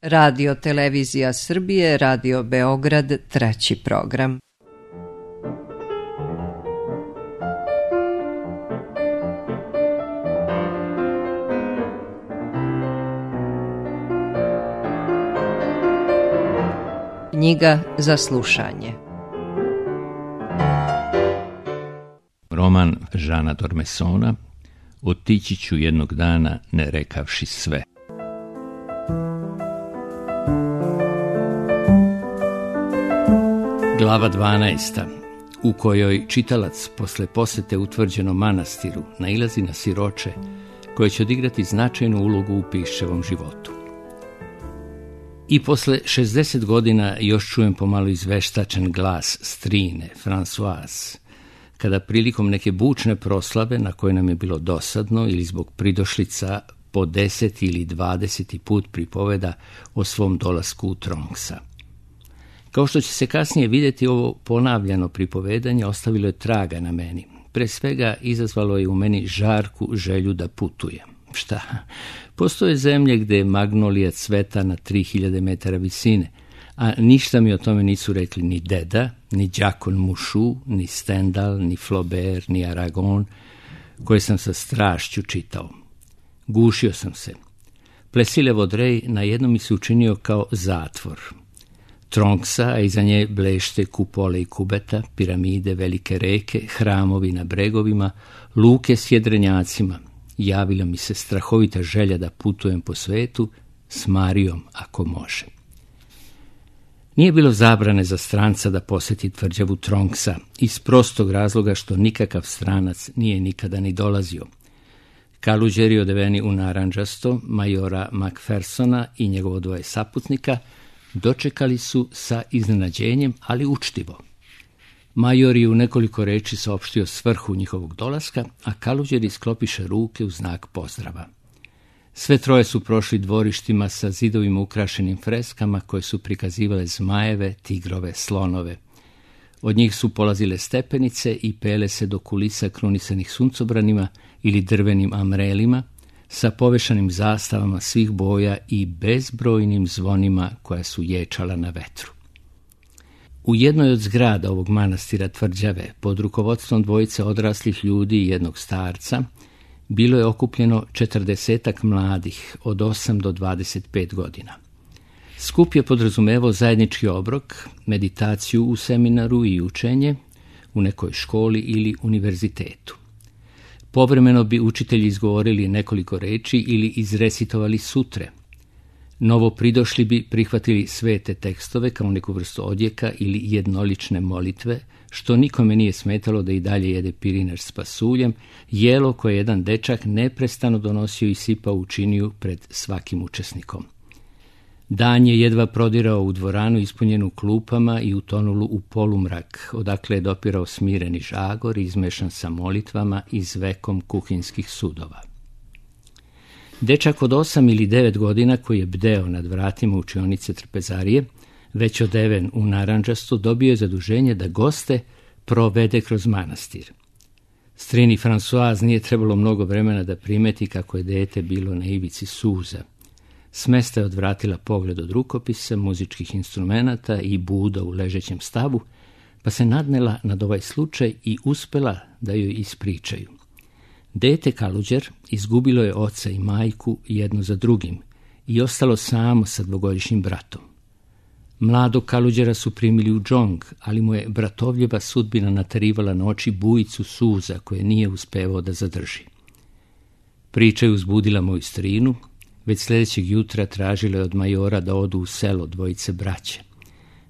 Radio Televizija Srbije, Radio Beograd, 3. program. Knjiga za slušanje. Roman Žana Dormesona Otići ću jednog dana ne rekavši sve. Glava 12. u kojoj čitalac posle posete utvrđenom manastiru nailazi na siroče koje će odigrati značajnu ulogu u Piščevom životu. I posle 60 godina još čujem pomalo izveštačen glas strine, Françoise, kada prilikom neke bučne proslave na koje nam je bilo dosadno ili zbog pridošlica po 10. ili 20. put pripoveda o svom dolasku u Tronksa. Kao što će se kasnije vidjeti, ovo ponavljano pripovedanje ostavilo je traga na meni. Pre svega izazvalo je u meni žarku želju da putujem. Šta? Postoje zemlje gde magnolija cveta na 3000 metara visine, a ništa mi o tome nisu rekli ni deda, ni đakon Mušu, ni Stendhal, ni Flaubert, ni Aragon, koje sam sa strašću čitao. Gušio sam se. Plesile Vaudreuil na jednom mi se učinio kao zatvor. Tronksa, a iza nje blešte kupole i kubeta, piramide, velike reke, hramovi na bregovima, luke s jedrenjacima. Javila mi se strahovita želja da putujem po svetu s Marijom ako može. Nije bilo zabrane za stranca da poseti tvrđavu Tronksa, iz prostog razloga što nikakav stranac nije nikada ni dolazio. Kaluđeri odeveni u narandžasto, majora Macphersona i njegovo dvoje saputnika dočekali su sa iznenađenjem, ali učtivo. Major je u nekoliko reči saopštio svrhu njihovog dolaska, a kaluđeri sklopiše ruke u znak pozdrava. Sve troje su prošli dvorištima sa zidovima ukrašenim freskama koje su prikazivale zmajeve, tigrove, slonove. Od njih su polazile stepenice i pele se do kulisa krunisanih suncobranima ili drvenim amrelima, sa povešanim zastavama svih boja i bezbrojnim zvonima koja su ječala na vetru. U jednoj od zgrada ovog manastira tvrđave, pod rukovodstvom dvojice odraslih ljudi i jednog starca, bilo je okupljeno 40 mladih od 8 do 25 godina. Skup je podrazumevao zajednički obrok, meditaciju u seminaru i učenje u nekoj školi ili univerzitetu. Povremeno bi učitelji izgovorili nekoliko reči ili izrecitovali sutre. Novo pridošli bi prihvatili svete tekstove kao neku vrstu odjeka ili jednolične molitve, što nikome nije smetalo da i dalje jede pirinač s pasuljem, jelo koje jedan dečak neprestano donosio i sipao u činiju pred svakim učesnikom. Dan je jedva prodirao u dvoranu ispunjenu klupama i utonulu u polumrak, odakle je dopirao smireni žagor izmešan sa molitvama i zvekom kuhinskih sudova. Dečak od 8 ili 9 godina koji je bdeo nad vratima učionice trpezarije, već odeven u narandžasto, dobio je zaduženje da goste provede kroz manastir. Strini Françoise nije trebalo mnogo vremena da primeti kako je dete bilo na ivici suza. Smesta je odvratila pogled od rukopisa, muzičkih instrumenata i buda u ležećem stavu, pa se nadnela nad ovaj slučaj i uspela da joj ispričaju. Dete Kaluđer izgubilo je oca i majku jedno za drugim i ostalo samo sa dvogodišnjim bratom. Mladog Kaluđera su primili u džong, ali mu je bratovljeva sudbina natarivala na oči bujicu suza koje nije uspevao da zadrži. Priča je uzbudila moju strinu, već sljedećeg jutra tražila je od majora da odu u selo dvojice braće.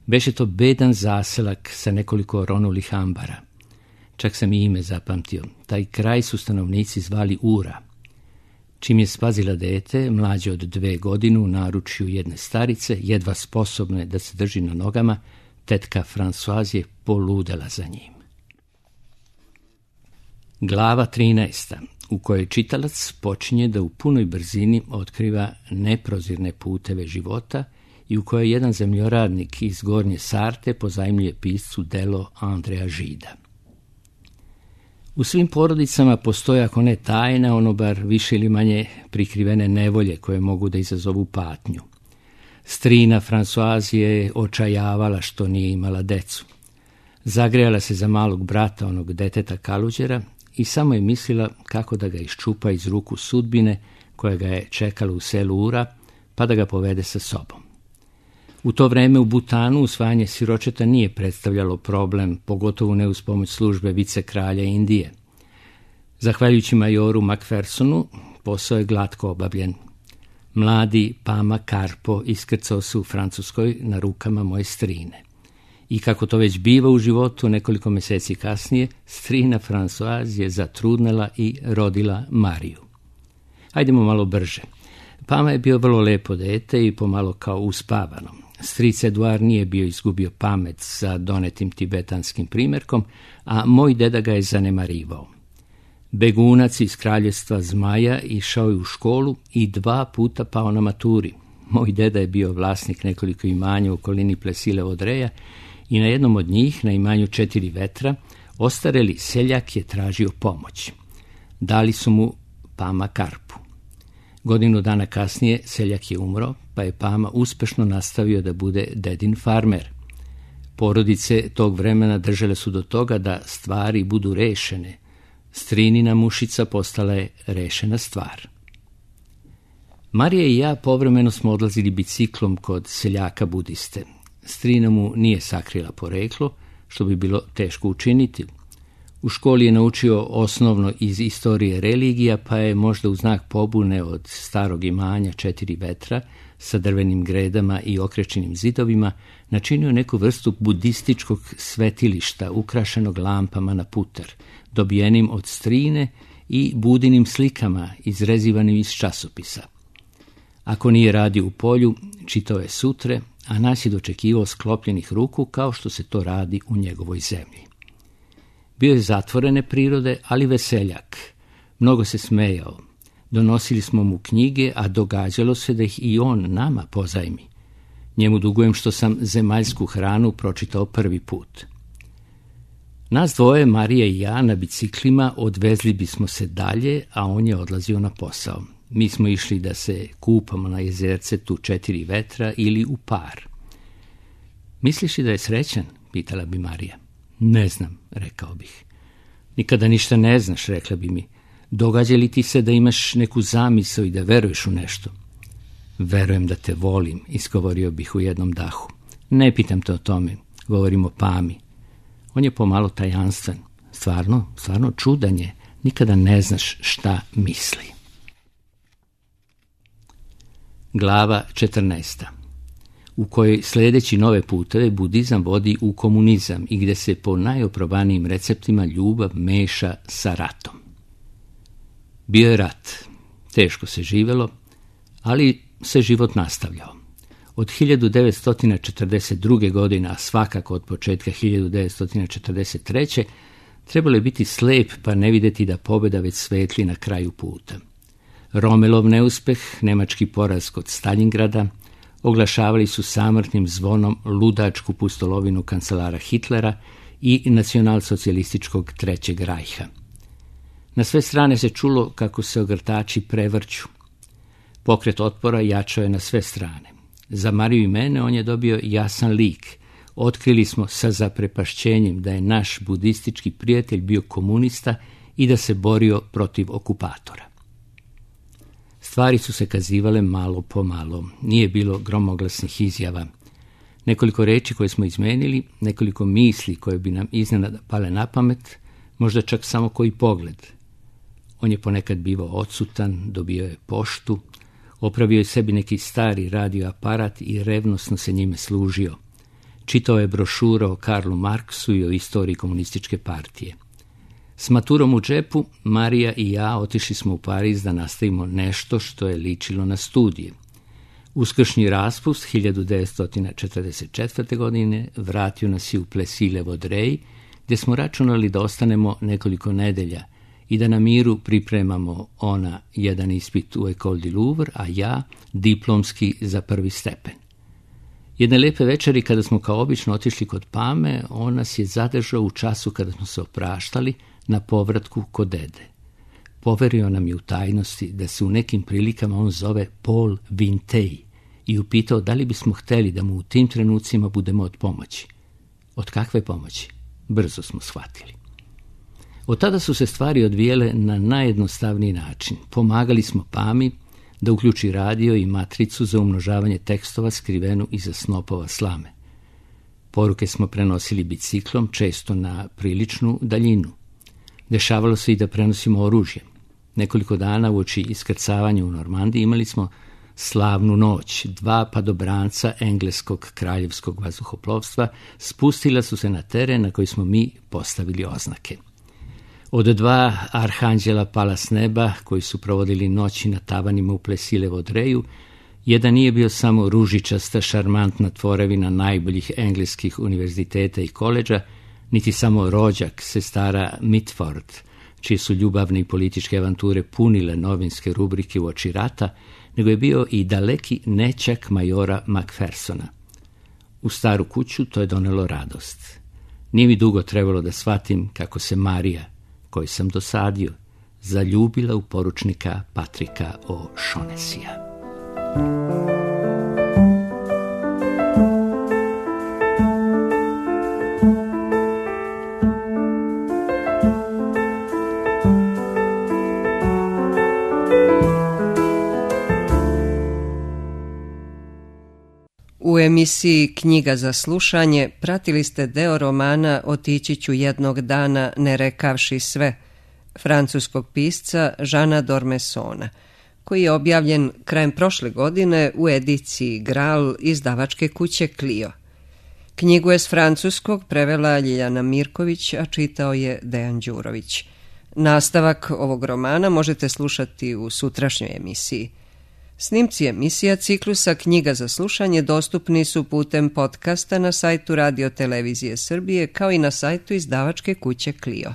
Beše to bedan zaselak sa nekoliko oronulih ambara. Čak sam i ime zapamtio. Taj kraj su stanovnici zvali Ura. Čim je spazila dete, mlađe od 2 godine, u naručju jedne starice, jedva sposobne da se drži na nogama, tetka Françoise je poludela za njim. Glava 13. u kojoj čitalac počinje da u punoj brzini otkriva neprozirne puteve života i u kojoj jedan zemljoradnik iz Gornje Sarte pozajmljuje piscu delo Andreja Žida. U svim porodicama postoje, ako ne tajna, ono bar više ili manje prikrivene nevolje koje mogu da izazovu patnju. Strina Françoise je očajavala što nije imala decu. Zagrejala se za malog brata onog deteta Kaluđera i samo je mislila kako da ga iščupa iz ruku sudbine koja ga je čekala u selu Ura, pa da ga povede sa sobom. U to vreme u Butanu usvajanje siročeta nije predstavljalo problem, pogotovo ne uz pomoć službe vicekralja Indije. Zahvaljujući majoru Macphersonu, posao je glatko obavljen. Mladi Pama Karpo iskrcao se u Francuskoj na rukama moje strine. I kako to već biva u životu, nekoliko mjeseci kasnije, strina Françoise je zatrudnela i rodila Mariju. Hajdemo malo brže. Pama je bio vrlo lepo dete i pomalo kao uspavano. Stric Eduard nije bio izgubio pamet sa donetim tibetanskim primjerkom, a moj deda ga je zanemarivao. Begunac iz kraljevstva Zmaja išao je u školu i 2 puta pao na maturi. Moj deda je bio vlasnik nekoliko imanja u okolini Plesile Odreja i na jednom od njih, na imanju 4 vetra, ostareli seljak je tražio pomoć. Dali su mu Pama Karpu. Godinu dana kasnije seljak je umro, pa je Pama uspešno nastavio da bude dedin farmer. Porodice tog vremena držale su do toga da stvari budu rešene. Strinina mušica postala je rešena stvar. Marija i ja povremeno smo odlazili biciklom kod seljaka budiste. Strina mu nije sakrila poreklo, što bi bilo teško učiniti. U školi je naučio osnovno iz istorije religija, pa je možda u znak pobune od starog imanja 4 vetra sa drvenim gredama i okrečenim zidovima načinio neku vrstu budističkog svetilišta ukrašenog lampama na putar, dobijenim od strine i budinim slikama izrezivanim iz časopisa. Ako nije radio u polju, čitao je sutre, a nas je dočekivao sklopljenih ruku kao što se to radi u njegovoj zemlji. Bio je zatvorene prirode, ali veseljak. Mnogo se smejao. Donosili smo mu knjige, a događalo se da ih i on nama pozajmi. Njemu dugujem što sam Zemaljsku hranu pročitao prvi put. Nas dvoje, Marija i ja, na biciklima odvezli bismo se dalje, a on je odlazio na posao. Mi smo išli da se kupamo na jezercetu 4 vetra ili u Par. Misliš li da je srećan? Pitala bi Marija. Ne znam, rekao bih. Nikada ništa ne znaš, rekla bi mi. Događa li ti se da imaš neku zamisao i da veruješ u nešto? Verujem da te volim, izgovorio bih u jednom dahu. Ne pitam te o tome, govorim o Pami. On je pomalo tajanstven. Stvarno čudan je. Nikada ne znaš šta misli. Glava 14. U kojoj sljedeći nove puteve budizam vodi u komunizam i gdje se po najoprobanijim receptima ljubav meša sa ratom. Bio je rat. Teško se živjelo, ali se život nastavljao. Od 1942. godine, a svakako od početka 1943. trebalo je biti slep pa ne vidjeti da pobjeda već svetli na kraju puta. Romelov neuspeh, nemački poraz kod Staljingrada, oglašavali su samrtnim zvonom ludačku pustolovinu kancelara Hitlera i nacionalsocijalističkog Trećeg rajha. Na sve strane se čulo kako se ogrtači prevrću. Pokret otpora jačao je na sve strane. Za Mariju i mene on je dobio jasan lik. Otkrili smo sa zaprepašćenjem da je naš budistički prijatelj bio komunista i da se borio protiv okupatora. Stvari su se kazivale malo po malo. Nije bilo gromoglasnih izjava. Nekoliko reči koje smo izmenili, nekoliko misli koje bi nam iznenada pale na pamet, možda čak samo koji pogled. On je ponekad bivao odsutan, dobio je poštu, opravio je sebi neki stari radioaparat i revnosno se njime služio. Čitao je brošure o Karlu Marksu i o istoriji komunističke partije. S maturom u džepu, Marija i ja otišli smo u Pariz da nastavimo nešto što je ličilo na studije. Uskršnji raspust 1944. godine vratio nas je u Plesile Vodrej, gdje smo računali da ostanemo nekoliko nedelja i da na miru pripremamo ona jedan ispit u École du Louvre, a ja diplomski za 1. stepen. Jedne lepe večeri, kada smo kao obično otišli kod Pame, on nas je zadržao u času kada smo se opraštali na povratku kod dede. Poverio nam je u tajnosti da se u nekim prilikama on zove Paul Vinteuil i upitao da li bismo htjeli da mu u tim trenucima budemo od pomoći. Od kakve pomoći? Brzo smo shvatili. Od tada su se stvari odvijele na najjednostavniji način. Pomagali smo Pami da uključi radio i matricu za umnožavanje tekstova skrivenu iza snopova slame. Poruke smo prenosili biciklom, često na priličnu daljinu. Dešavalo se i da prenosimo oružje. Nekoliko dana uoči iskrcavanja u Normandiji imali smo slavnu noć. 2 padobranca engleskog kraljevskog vazduhoplovstva spustila su se na teren na koji smo mi postavili oznake. Od 2 arhanđela pala s neba, koji su provodili noći na tavanima u Plesilevo Dreju, jedan nije bio samo ružičasta, šarmantna tvorevina najboljih engleskih univerziteta i koleđa, niti samo rođak sestara Mitford, čije su ljubavne i političke avanture punile novinske rubrike uoči rata, nego je bio i daleki nećak majora Macphersona. U staru kuću to je donelo radost. Nije mi dugo trebalo da shvatim kako se Marija, koju sam dosadio, zaljubila u poručnika Patrika O'Shaughnessya. U emisiji Knjiga za slušanje pratili ste deo romana Otići ću jednog dana ne rekavši sve, francuskog pisca Jeana d'Ormessona, koji je objavljen krajem prošle godine u ediciji Graal izdavačke kuće Clio. Knjigu je s francuskog prevela Ljiljana Mirković, a čitao je Dejan Đurović. Nastavak ovog romana možete slušati u sutrašnjoj emisiji. Snimci emisija ciklusa Knjiga za slušanje dostupni su putem podcasta na sajtu Radio Televizije Srbije kao i na sajtu izdavačke kuće Clio.